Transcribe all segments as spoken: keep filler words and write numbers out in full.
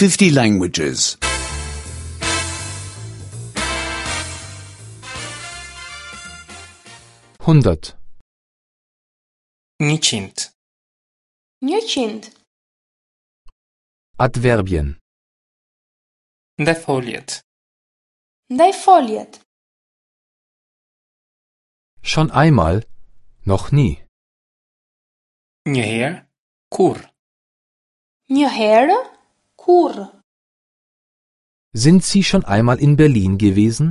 fifty languages. hundert, Njëqind. Njëqind. Adverbien. Ndajfoljet. Ndajfoljet. Schon einmal, noch nie. Një herë, kurrë. Një herë, kurrë. Sind Sie schon einmal in Berlin gewesen?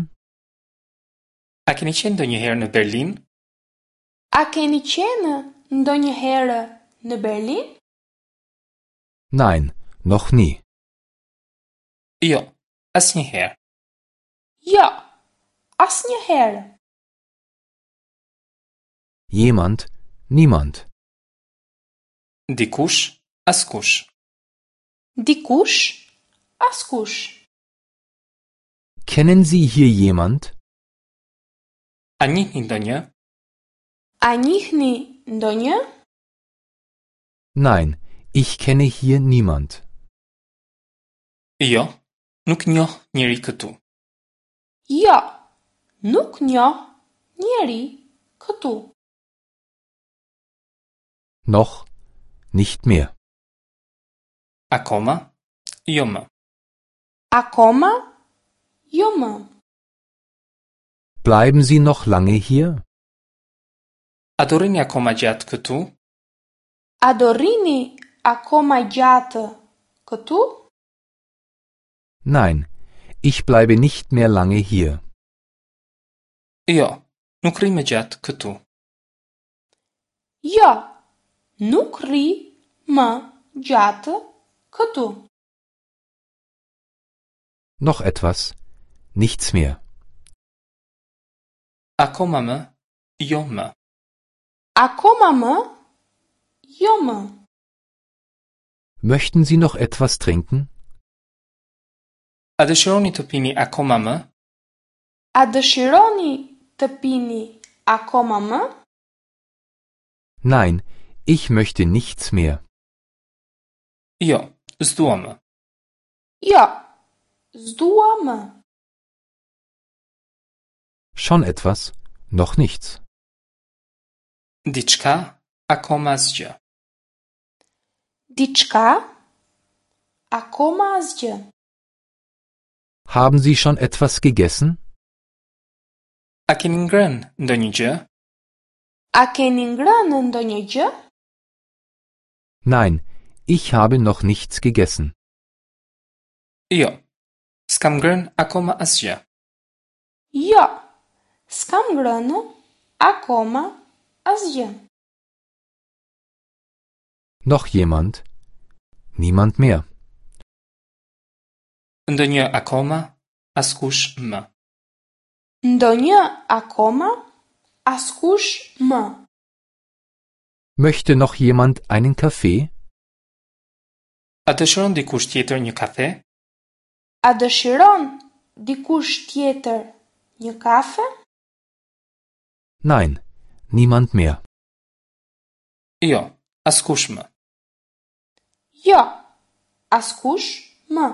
A keni qenë ndonjëherë në Berlin? A keni qenë ndonjëherë në Berlin? Nein, noch nie. Jo, asnjëherë. Jo, asnjëherë. Jemand, niemand. Dikush, askush. Dikush, askush. Kennen Sie hier jemand? A njihni ndonjë? A njihni ndonjë? Nein, ich kenne hier niemand. Jo, nuk njoh njeri këtu. Jo, nuk njoh njeri këtu. Noch, nicht mehr. Akoma, jo më. Akoma, jo më. Bleiben Sie noch lange hier? A do rrini akoma gjatë këtu? A do rrini akoma gjatë këtu? Nein, ich bleibe nicht mehr lange hier. Jo, nuk rri më gjatë këtu. Jo, nuk rri më gjatë këtu. Noch etwas, nichts mehr. Akoma më, jo më. Akoma më, jo më. Möchten Sie noch etwas trinken? A dëshironi të pini akoma më? A dëshironi të pini akoma më? Nein, ich möchte nichts mehr. Jo, s'dua më. Jo, s'dua më. Schon etwas, noch nichts. Diçka, akoma asgjë. Diçka, akoma asgjë. Haben Sie schon etwas gegessen? A keni ngrënë ndonjë gjë? A keni ngrënë ndonjë gjë? Nein, ich habe noch nichts gegessen. Jo, s'kam ngrënë akoma asgjë. Jo, s'kam ngrënë akoma asgjë. Noch jemand? Niemand mehr. Ndonjë akoma, askush më. Ndonjë akoma, askush më. Möchte noch jemand einen Kaffee? A dëshiron dikush tjetër një kafe? A dëshiron dikush tjetër një kafe? Nein, niemand mehr. Jo, askush më. Jo, askush më.